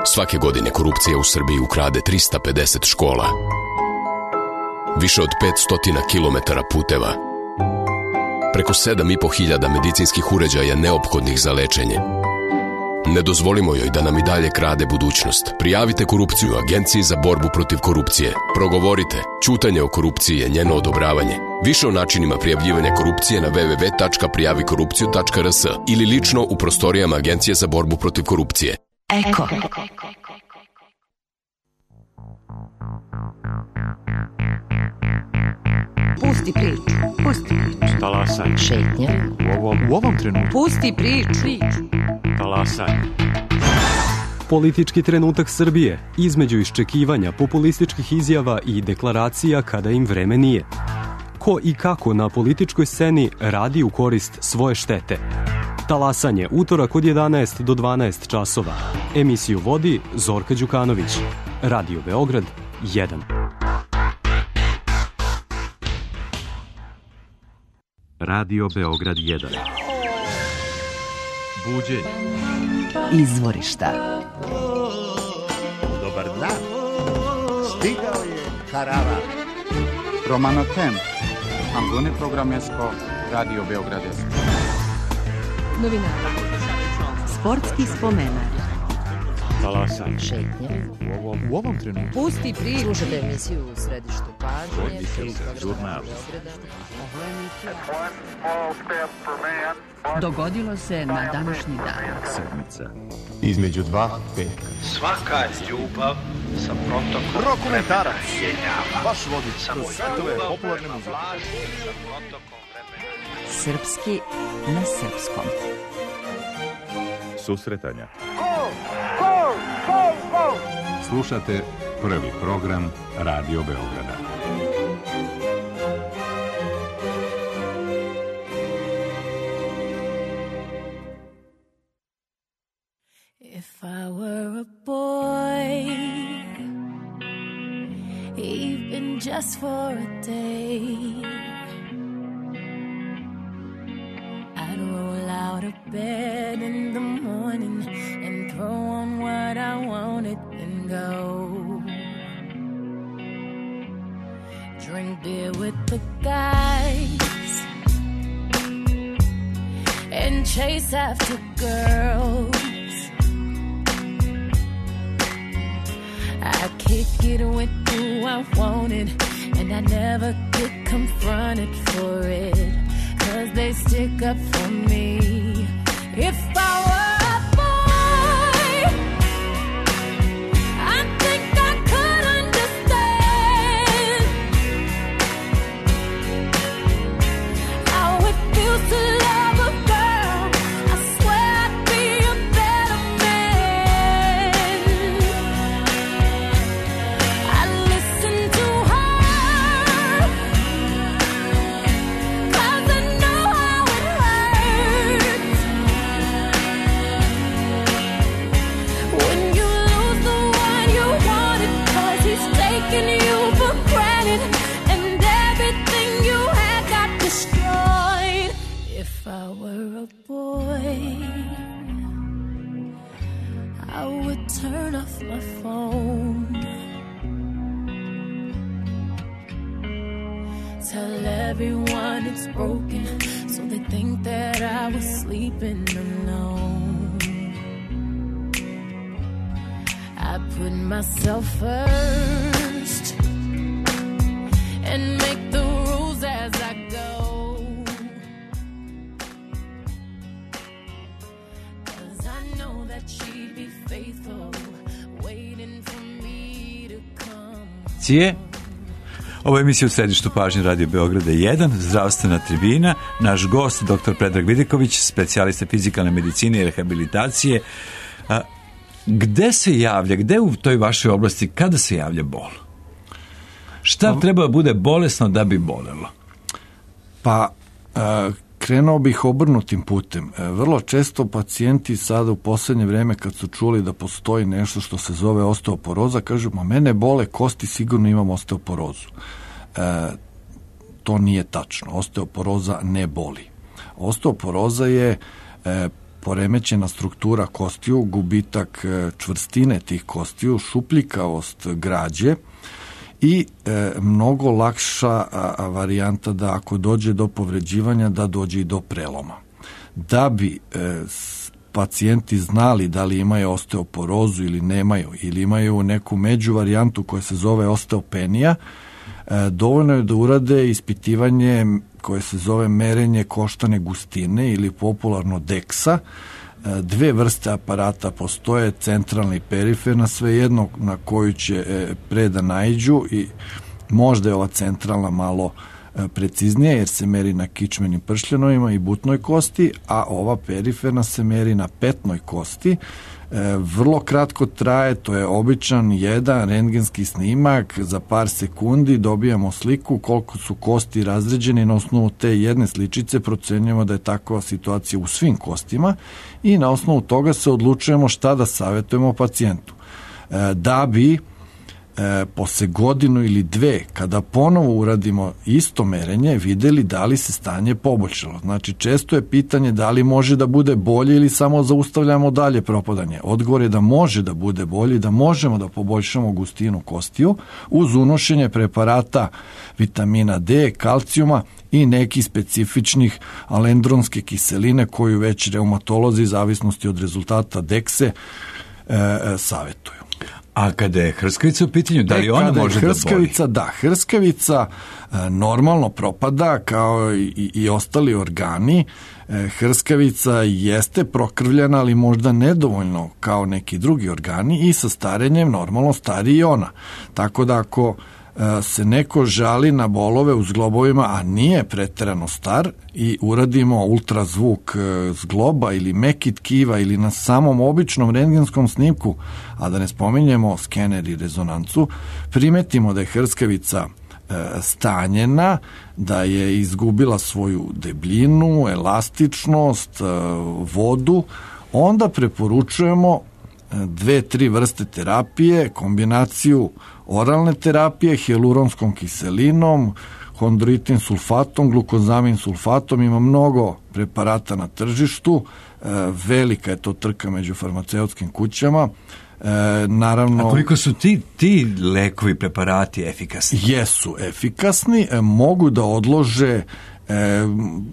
Svake godine korupcija u Srbiji ukrade 350 škola, više od 500 kilometara puteva, preko 7.500 medicinskih uređaja neophodnih za lečenje. Ne dozvolimo joj da nam i dalje krade budućnost. Prijavite korupciju Agenciji za borbu protiv korupcije. Progovorite. Ćutanje o korupciji je njeno odobravanje. Više o načinima prijavljivanja korupcije na www.prijavikorupciju.rs ili lično u prostorijama Agencije za borbu protiv korupcije. Eko. Pusti priču. Pusti priču. Talasaj. Šetnja. U ovom trenutku. Pusti priču. Talasaj. Politički trenutak Srbije, između iščekivanja populističkih izjava i deklaracija kada im vreme nije. Ko i kako na političkoj sceni radi u korist svoje štete. Talasanje, utorak od 11 do 12 časova. Emisiju vodi Zorka Đukanović. Radio Beograd 1. Radio Beograd 1. Buđenje. Izvorišta. Dobar dan. Stigao je karavan. Romano Tem. Angone Programesko. Radio Beograd 1. Novinari. Sportski spomenak. Talasaj. Šetnja. U ovom trenutku. Pusti priču. Slušajte emisiju u središtu pažnje. Žurnal. Dogodilo se na današnji dan. Sedmica. Između dva petka. Svaka ljubav sa protokom Rokomentarac. Vaš vodič kroz svetove popularne muzike. Srpski na srpskom. Susretanja. Slušate prvi program Radio Beograda. If I were a boy, even just for a day, I'd roll out of bed in the morning and throw on what I wanted and go. Drink beer with the guys and chase after girls. I kick it with who I wanted, and I never get confronted for it, 'cause they stick up for me. If I were a boy, I think I could understand how it feels to love a girl. I swear I'd be a better man. I listen to her, 'cause I know how it hurts when you lose the one you wanted, 'cause he's taking you for granted, and everything you had got destroyed. If I were a boy, I would turn off my phone, tell everyone it's broken, so they think that I was sleeping alone. I put myself first and make the rules as I go, 'cause I know that she'd be faithful, waiting for me to come. Cije? Ovo je emisija u središtu pažnje Radio Beograda 1, zdravstvena tribina. Naš gost, dr. Predrag Vidiković, specijalista fizikalne medicine i rehabilitacije. Gde se javlja, gde u toj vašoj oblasti, kada se javlja bol? Šta treba da bude bolesno da bi bolelo? Pa, krenuo bih obrnutim putem. Vrlo često pacijenti sada u posljednje vreme kad su čuli da postoji nešto što se zove osteoporoza, kažu, mene bole kosti, sigurno imam osteoporozu. To nije tačno. Osteoporoza ne boli. Osteoporoza je poremećena struktura kostiju, gubitak čvrstine tih kostiju, šupljikavost građe i mnogo lakša varijanta da ako dođe do povređivanja da dođe i do preloma. Da bi pacijenti znali da li imaju osteoporozu ili nemaju, ili imaju neku među varijantu koja se zove osteopenija, dovoljno je da urade ispitivanje koje se zove merenje koštane gustine ili popularno DEXA. Dve vrste aparata postoje, centralna i periferna, svejedno na koju će pre da naiđu, i možda je ova centralna malo preciznija jer se meri na kičmenim pršljanovima i butnoj kosti, a ova periferna se meri na petnoj kosti. Vrlo kratko traje, to je običan jedan rentgenski snimak, za par sekundi dobijamo sliku koliko su kosti razređene i na osnovu te jedne sličice procenjujemo da je takva situacija u svim kostima i na osnovu toga se odlučujemo šta da savjetujemo pacijentu. Da bi posle godinu ili dve, kada ponovo uradimo isto merenje, videli da li se stanje poboljšalo. Znači, često je pitanje da li može da bude bolje ili samo zaustavljamo dalje propadanje. Odgovor je da može da bude bolje, da možemo da poboljšamo gustinu kostiju uz unošenje preparata vitamina D, kalcijuma i nekih specifičnih alendronske kiseline koju već reumatolozi, zavisnosti od rezultata DEXE, savjetuju. A kada je hrskavica u pitanju, da li ona može da boli? Da, hrskavica normalno propada kao i ostali organi. Hrskavica jeste prokrvljena, ali možda nedovoljno kao neki drugi organi i sa starenjem normalno stari i ona. Tako da ako se neko žali na bolove u zglobovima, a nije preterano star, i uradimo ultrazvuk zgloba ili meki tkiva ili na samom običnom rentgenskom snimku, a da ne spominjemo skener i rezonancu, primetimo da je hrskavica stanjena, da je izgubila svoju debljinu, elastičnost, vodu, onda preporučujemo 2-3 vrste terapije, kombinaciju oralne terapije, hijaluronskom kiselinom, hondroitin sulfatom, glukozamin sulfatom. Ima mnogo preparata na tržištu, velika je to trka među farmaceutskim kućama. Naravno, a koliko su ti lekovi, preparati efikasni? Jesu efikasni, mogu da odlože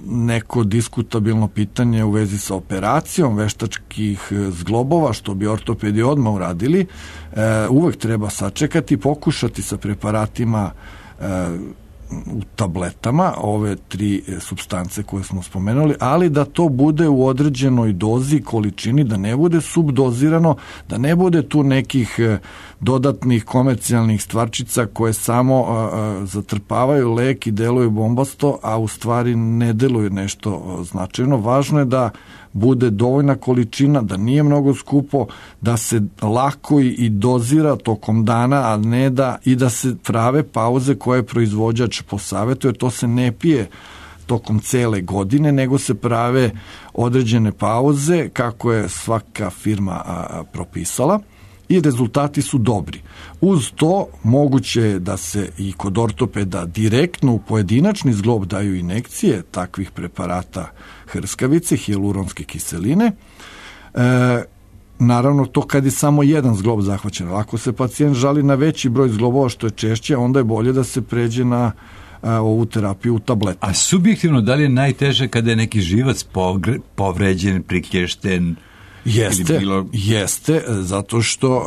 neko diskutabilno pitanje u vezi sa operacijom veštačkih zglobova, što bi ortopedi odmah uradili. Uvek treba sačekati, pokušati sa preparatima u tabletama, ove 3 supstance koje smo spomenuli, ali da to bude u određenoj dozi, količini, da ne bude subdozirano, da ne bude tu nekih dodatnih komercijalnih stvarčica koje samo zatrpavaju lek i deluju bombasto, a u stvari ne deluju nešto značajno. Važno je da bude dovoljna količina, da nije mnogo skupo, da se lako i dozira tokom dana, a ne da se prave pauze koje proizvođač posavjetuje. To se ne pije tokom cele godine, nego se prave određene pauze kako je svaka firma propisala i rezultati su dobri. Uz to moguće je da se i kod ortopeda direktno u pojedinačni zglob daju injekcije takvih preparata hrskavice, hijaluronske kiseline. Naravno, to kad je samo jedan zglob zahvaćen. Ako se pacijent žali na veći broj zglobova, što je češće, onda je bolje da se pređe na ovu terapiju u tabletama. A subjektivno, da li je najteže kada je neki živac povređen, priklješten? Jeste, zato što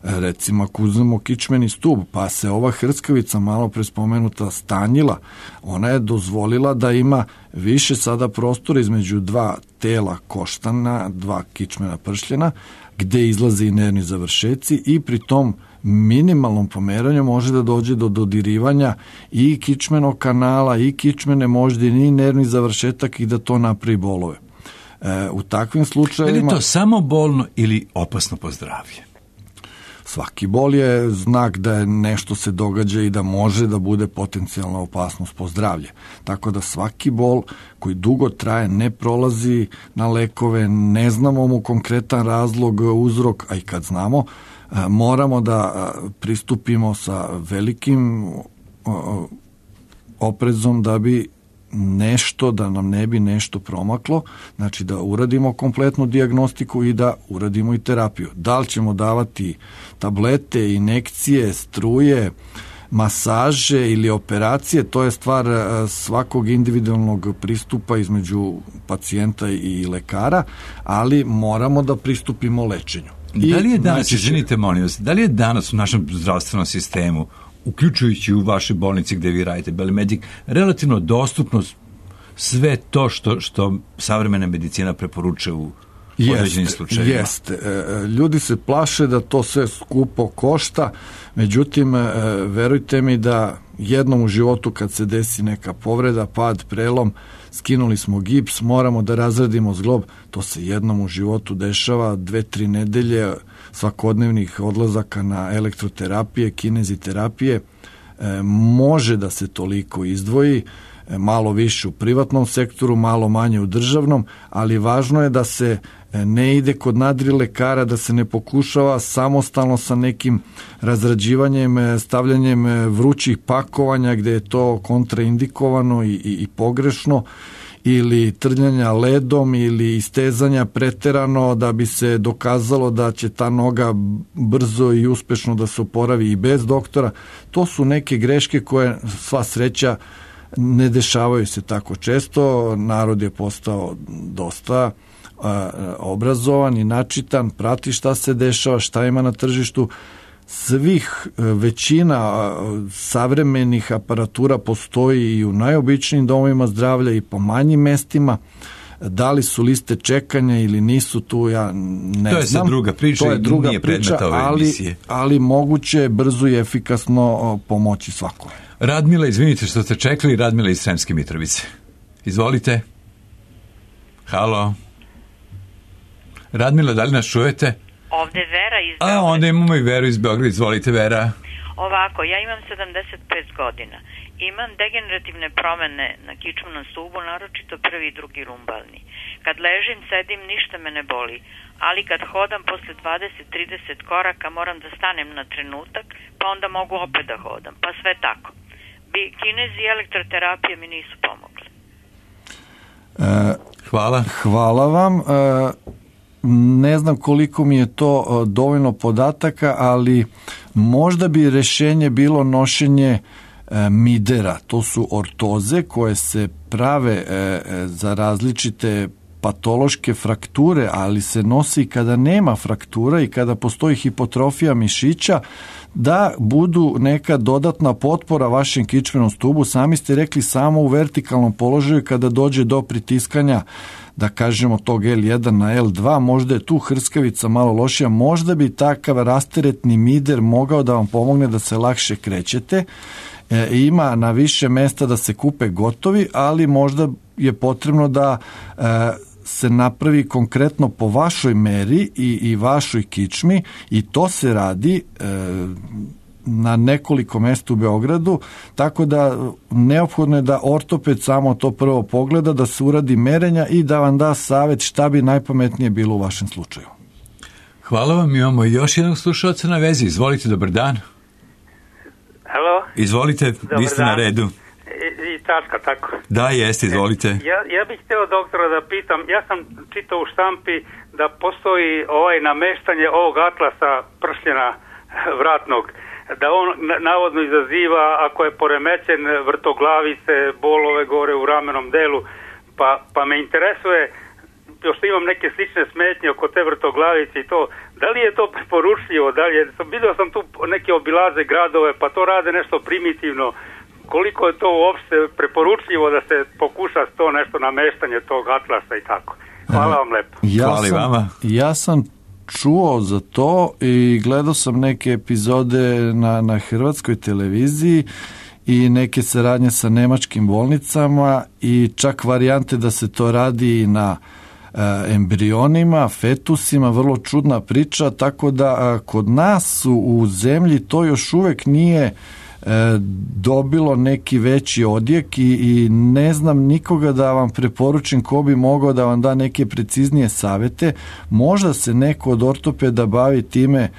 recimo ako uzmemo kičmeni stub, pa se ova hrskavica malo pre spomenuta stanjila, ona je dozvolila da ima više sada prostora između 2 tela koštana, 2 kičmena pršljena, gde izlaze i nervni završeci, i pri tom minimalnom pomeranju može da dođe do dodirivanja i kičmenog kanala i kičmene moždine i nervni završetak i da to napravi bolove. U takvim slučajevima... Je li to samo bolno ili opasno po zdravlje? Svaki bol je znak da je nešto se događa i da može da bude potencijalna opasnost po zdravlje. Tako da svaki bol koji dugo traje, ne prolazi na lekove, ne znamo mu konkretan razlog, uzrok, a i kad znamo, moramo da pristupimo sa velikim oprezom da bi nešto, da nam ne bi nešto promaklo, znači da uradimo kompletnu dijagnostiku i da uradimo i terapiju. Da li ćemo davati tablete, injekcije, struje, masaže ili operacije, to je stvar svakog individualnog pristupa između pacijenta i lekara, ali moramo da pristupimo lečenju. Da li je danas, izvinite molim vas, da li je danas u našem zdravstvenom sistemu, uključujući u vašoj bolnici gde vi radite, Belimedic, relativno dostupno sve to što savremena medicina preporučuje u određenim slučajevima? Jeste. Ljudi se plaše da to sve skupo košta, međutim, verujte mi da jednom u životu kad se desi neka povreda, pad, prelom, skinuli smo gips, moramo da razradimo zglob, to se jednom u životu dešava, 2-3 nedelje svakodnevnih odlazaka na elektroterapije, kineziterapije, može da se toliko izdvoji, malo više u privatnom sektoru, malo manje u državnom, ali važno je da se ne ide kod nadrilekara, da se ne pokušava samostalno sa nekim razrađivanjem, stavljanjem vrućih pakovanja gde je to kontraindikovano i pogrešno, ili trljanja ledom ili istezanja preterano da bi se dokazalo da će ta noga brzo i uspešno da se oporavi i bez doktora. To su neke greške koje, sva sreća, ne dešavaju se tako često. Narod je postao dosta obrazovan i načitan, prati šta se dešava, šta ima na tržištu. Većina savremenih aparatura postoji i u najobičnijim domovima zdravlja i po manjim mestima. Da li su liste čekanja ili nisu, tu ja ne znam. To je sad druga priča i nije predmet ove emisije. Ali moguće je brzo i efikasno pomoći svakome. Radmila, izvinite što ste čekali, Radmila iz Sremske Mitrovice. Izvolite. Halo. Radmila, da li nas čujete? Ovde Vera iz Beograda. Onda imamo i Veru iz Beograda. Izvolite, Vera. Ovako, ja imam 75 godina. Imam degenerativne promene na kičmenom stubu, naročito prvi i drugi lumbalni. Kad ležim, sedim, ništa me ne boli. Ali kad hodam posle 20-30 koraka moram da stanem na trenutak, pa onda mogu opet da hodam. Pa sve tako. Kinezi i elektroterapije mi nisu pomogli. Hvala vam. Ne znam koliko mi je to dovoljno podataka, ali možda bi rešenje bilo nošenje midera. To su ortoze koje se prave za različite patološke frakture, ali se nosi kada nema fraktura i kada postoji hipotrofija mišića, da budu neka dodatna potpora vašem kičmenom stubu. Sami ste rekli, samo u vertikalnom položaju kada dođe do pritiskanja, da kažemo tog L1 na L2, možda je tu hrskavica malo lošija, možda bi takav rasteretni mider mogao da vam pomogne da se lakše krećete. Ima na više mesta da se kupe gotovi, ali možda je potrebno da se napravi konkretno po vašoj meri i vašoj kičmi, i to se radi na nekoliko mesta u Beogradu, tako da neophodno je da ortoped samo to prvo pogleda, da se uradi merenja i da vam da savjet šta bi najpametnije bilo u vašem slučaju. Hvala vam, imamo još jednog slušalca na vezi. Izvolite, dobar dan. Halo? Izvolite, vi ste na redu. I tačka, tako. Da, jeste, izvolite. Ja bih htio doktora da pitam, ja sam čitao u štampi da postoji nameštanje ovog atlasa pršljena vratnog, da on navodno izaziva, ako je poremećen, vrtoglavice, bolove gore u ramenom delu, pa me interesuje, pošto imam neke slične smetnje oko te vrtoglavice i to, da li je to preporučljivo, vidio sam tu neke obilaze gradove, pa to rade nešto primitivno, koliko je to uopšte preporučljivo da se pokuša to nešto nameštanje tog atlasa i tako. Hvala vam lepo. Ja sam čuo za to i gledao sam neke epizode na hrvatskoj televiziji i neke saradnje sa nemačkim bolnicama i čak varijante da se to radi i na embrionima, fetusima, vrlo čudna priča, tako da kod nas u zemlji to još uvek nije dobilo neki veći odjek i ne znam nikoga da vam preporučim ko bi mogao da vam da neke preciznije savete. Možda se neko od ortopeda bavi time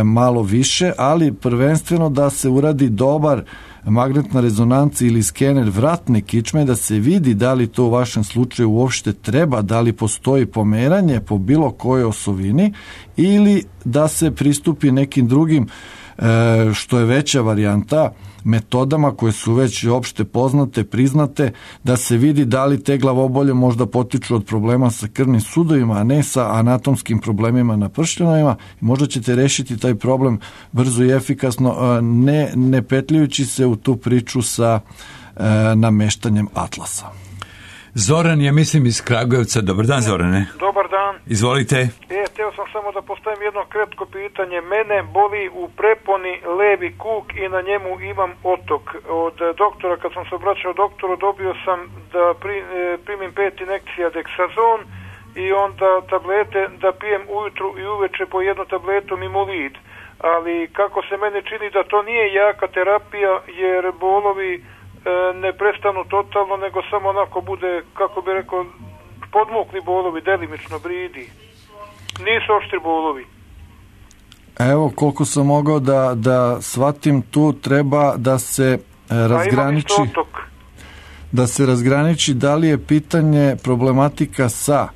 malo više, ali prvenstveno da se uradi dobar magnetna rezonanca ili skener vratne kičme, da se vidi da li to u vašem slučaju uopšte treba, da li postoji pomeranje po bilo kojoj osovini ili da se pristupi nekim drugim, što je veća varijanta, metodama koje su već opšte poznate, priznate, da se vidi da li te glavobolje možda potiču od problema sa krvnim sudovima, a ne sa anatomskim problemima na pršljanima. Možda ćete rešiti taj problem brzo i efikasno, ne petljajući se u tu priču sa nameštanjem atlasa. Zoran je, mislim, iz Kragujevca. Dobar dan, Zorane. Dobar dan. Izvolite. Htio sam samo da postavim jedno kratko pitanje. Mene boli u preponi levi kuk i na njemu imam otok. Od doktora, kad sam se obraćao doktoru, dobio sam da primim 5 injekcija Dexazon i onda tablete da pijem ujutru i uveče po jednu tabletu Mimolid. Ali kako se mene čini da to nije jaka terapija, jer bolovi ne prestanu totalno, nego samo onako bude, kako bi rekao, podmukli bolovi, delimično bridi. Nisu oštri bolovi. Evo, koliko sam mogao da shvatim, tu treba da se razgraniči da li je pitanje problematika sa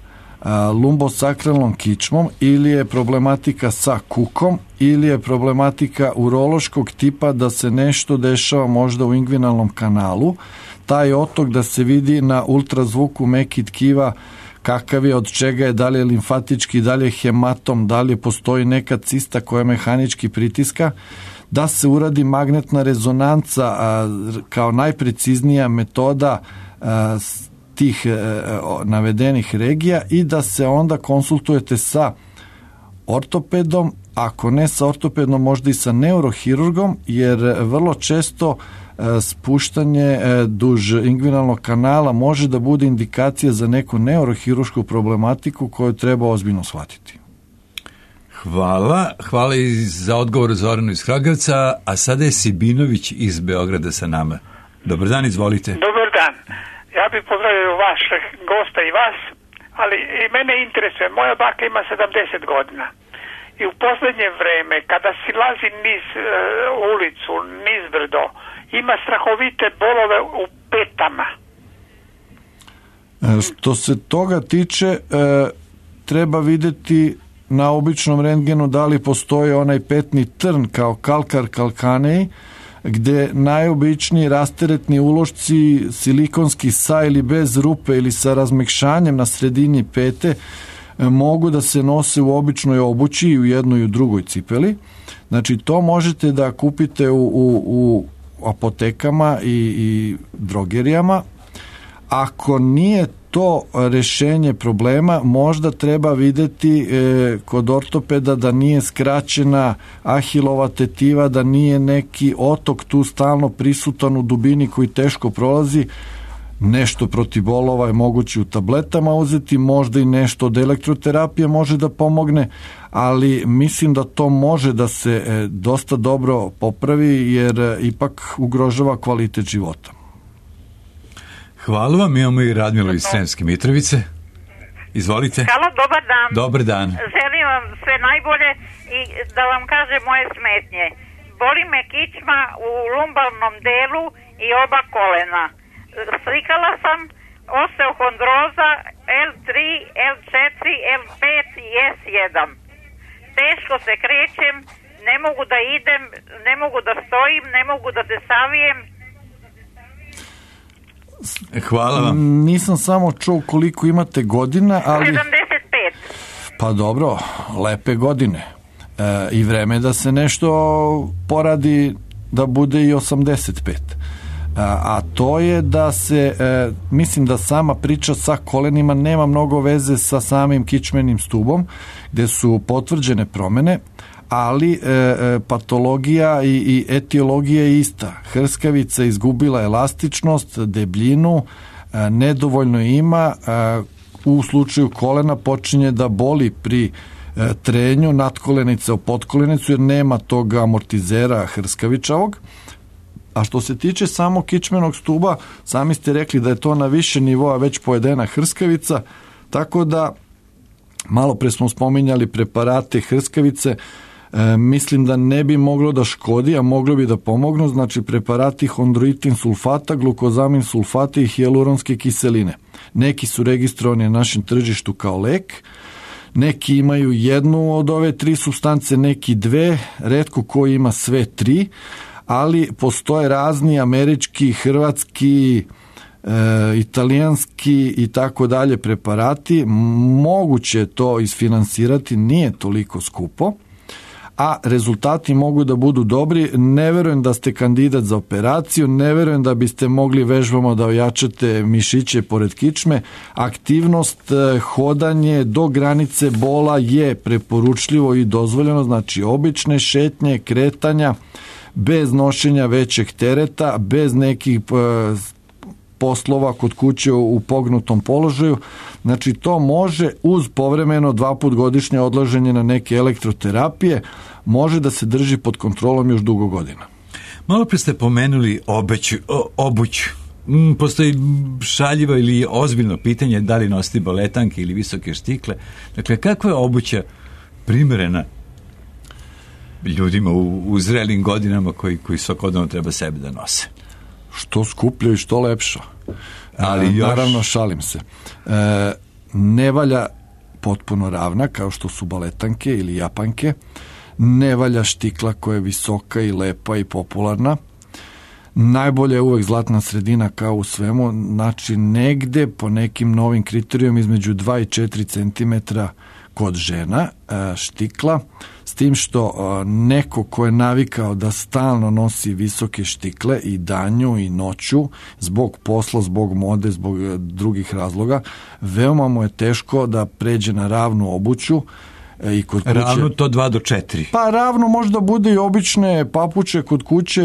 lumbosakralnom kičmom ili je problematika sa kukom ili je problematika urološkog tipa, da se nešto dešava možda u ingvinalnom kanalu. Taj otok da se vidi na ultrazvuku mekih tkiva kakav je, od čega je, da li je limfatički, da li je hematom, da li postoji neka cista koja mehanički pritiska, da se uradi magnetna rezonanca kao najpreciznija metoda tih navedenih regija i da se onda konsultujete sa ortopedom, ako ne sa ortopedom, možda i sa neurohirurgom, jer vrlo često spuštanje duž ingvinalnog kanala može da bude indikacija za neku neurohirušku problematiku koju treba ozbiljno shvatiti. Hvala i za odgovor Zoranu iz Kragujevca, a sada je Sibinović iz Beograda sa nama. Dobar dan, izvolite. Dobar dan. Ja bih pozdravio vašeg gosta i vas, ali i mene interesuje. Moja baka ima 70 godina i u posljednje vreme, kada silazi niz ulicu, nizbrdo, ima strahovite bolove u petama. Što se toga tiče, treba videti na običnom rentgenu da li postoji onaj petni trn kao kalkar kalkanej, gde najobičniji rasteretni ulošci, silikonski sa ili bez rupe ili sa razmekšanjem na sredini pete, mogu da se nose u običnoj obući i u jednoj i u drugoj cipeli. Znači, to možete da kupite u apotekama i drogerijama. Ako nije to rešenje problema, možda treba videti kod ortopeda da nije skraćena ahilova tetiva, da nije neki otok tu stalno prisutan u dubini koji teško prolazi. Nešto protiv bolova je moguće u tabletama uzeti, možda i nešto od elektroterapije može da pomogne, ali mislim da to može da se dosta dobro popravi, jer ipak ugrožava kvalitet života. Hvala vam, imamo i Radmilu iz Sremske Mitrovice. Izvolite. Halo, dobar dan. Dobar dan. Želim vam sve najbolje i da vam kažem moje smetnje. Boli me kičma u lumbalnom delu i oba kolena. Slikala sam osteohondroza L3, L4, L5 i S1. Teško se krećem, ne mogu da idem, ne mogu da stojim, ne mogu da se savijem. Hvala vam. Nisam samo čuo koliko imate godina, ali... 75. Pa dobro, lepe godine. I vreme da se nešto poradi da bude i 85. a to je da se, mislim da sama priča sa kolenima nema mnogo veze sa samim kičmenim stubom, gde su potvrđene promene, ali patologija i etiologija je ista. Hrskavica izgubila elastičnost, debljinu, nedovoljno ima, u slučaju kolena počinje da boli pri trenju nadkolenice o podkolenicu jer nema tog amortizera hrskavičavog. A što se tiče samo kičmenog stuba, sami ste rekli da je to na više nivoa već pojedena hrskavica, tako da malo pre smo spominjali preparate hrskavice, mislim da ne bi moglo da škodi, a moglo bi da pomognu, znači preparati hondroitin sulfata, glukozamin sulfata i hijaluronske kiseline. Neki su registrovani na našem tržištu kao lek, neki imaju jednu od ove 3 supstance, neki 2, retko ko ima sve 3, ali postoje razni američki, hrvatski, italijanski i tako dalje preparati. Moguće je to isfinansirati, nije toliko skupo, a rezultati mogu da budu dobri. Ne verujem da ste kandidat za operaciju, ne verujem da biste mogli vežbama da ojačate mišiće pored kičme. Aktivnost, hodanje do granice bola je preporučljivo i dozvoljeno, znači obične šetnje, kretanja, bez nošenja većeg tereta, bez nekih poslova kod kuće u pognutom položaju. Znači to može uz povremeno 2 put godišnje odlaženje na neke elektroterapije, može da se drži pod kontrolom još dugo godina. Malo pre ste pomenuli obuć. Postoji šaljivo ili ozbiljno pitanje da li nositi baletanke ili visoke štikle. Dakle, kakva je obuća primjerena ljudima u zrelim godinama koji svakodnevno treba sebe da nose? Što skuplje i što lepša. Ali naravno, šalim se. Ne valja potpuno ravna, kao što su baletanke ili japanke. Ne valja štikla koja je visoka i lepa i popularna. Najbolje je uvek zlatna sredina kao u svemu, znači negde po nekim novim kriterijom između 2 i 4 cm kod žena štikla, s tim što neko ko je navikao da stalno nosi visoke štikle i danju i noću, zbog posla, zbog mode, zbog drugih razloga, veoma mu je teško da pređe na ravnu obuću. I kod kuće, ravno to 2 do 4. Pa ravno možda bude i obične papuče kod kuće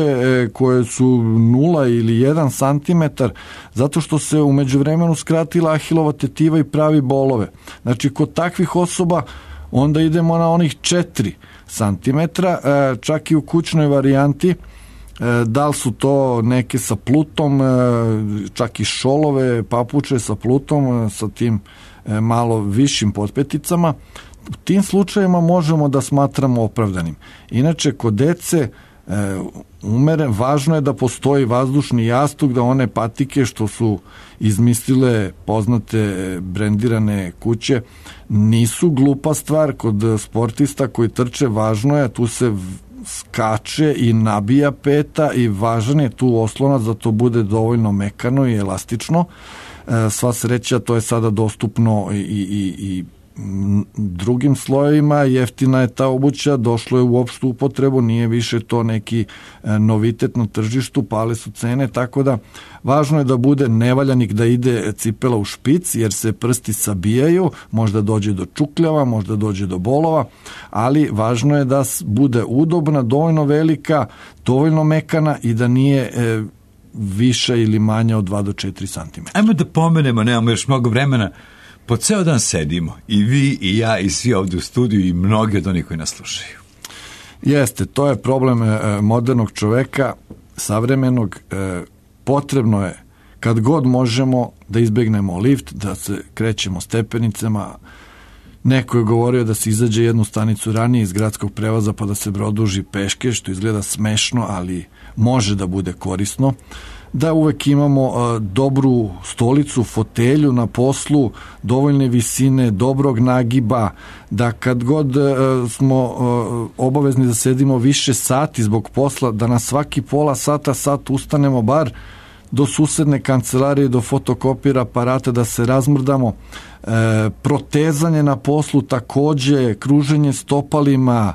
koje su 0 ili 1 cm, zato što se u međuvremenu skratila ahilova tetiva i pravi bolove. Znači kod takvih osoba onda idemo na onih 4 cm, čak i u kućnoj varijanti. Da li su to neke sa plutom, čak i šolove, papuče sa plutom, sa tim malo višim potpeticama. U tim slučajima možemo da smatramo opravdanim. Inače, kod dece važno je da postoji vazdušni jastuk, da one patike što su izmislile poznate brendirane kuće nisu glupa stvar. Kod sportista koji trče važno je, tu se skače i nabija peta i važan je tu oslonac da to bude dovoljno mekano i elastično. Sva sreća, to je sada dostupno i drugim slojevima, jeftina je ta obuća, došlo je u opštu upotrebu, nije više to neki novitet na tržištu, pale su cene, tako da važno je da bude nevaljanik, da ide cipela u špic, jer se prsti sabijaju, možda dođe do čukljava, možda dođe do bolova, ali važno je da bude udobna, dovoljno velika, dovoljno mekana i da nije više ili manja od 2 do 4 cm. Ajmo da pomenemo, nemamo još mnogo vremena, po ceo dan sedimo, i vi, i ja, i svi ovdje u studiju, i mnogi od onih koji nas slušaju. Jeste, to je problem modernog čoveka, savremenog. Potrebno je, kad god možemo, da izbegnemo lift, da se krećemo stepenicama. Neko je govorio da se izađe jednu stanicu ranije iz gradskog prevoza pa da se produži peške, što izgleda smešno, ali može da bude korisno. Da uvek imamo dobru stolicu, fotelju na poslu, dovoljne visine, dobrog nagiba, da kad god smo obavezni da sedimo više sati zbog posla, da na svaki pola sata, sat ustanemo bar do susedne kancelarije, do fotokopira aparata da se razmrdamo, protezanje na poslu takođe, kruženje stopalima,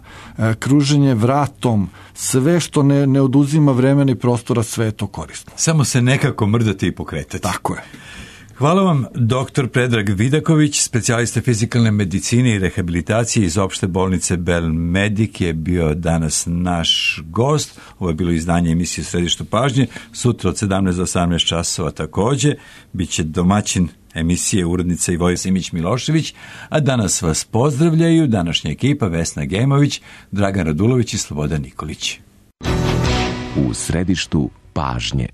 kruženje vratom, sve što ne oduzima vremena i prostora, sve je to korisno. Samo se nekako mrdati i pokretati. Tako je. Hvala vam, dr. Predrag Vidaković, specijalista fizikalne medicine i rehabilitacije iz opšte bolnice Belmedik je bio danas naš gost. Ovo je bilo izdanje emisije Središtu pažnje. Sutra od 17 do 18 časova takođe. Biće domaćin emisije urednica Ivoje Simić-Milošević, a danas vas pozdravljaju današnja ekipa Vesna Gemović, Dragan Radulović i Slobodan Nikolić. U središtu pažnje.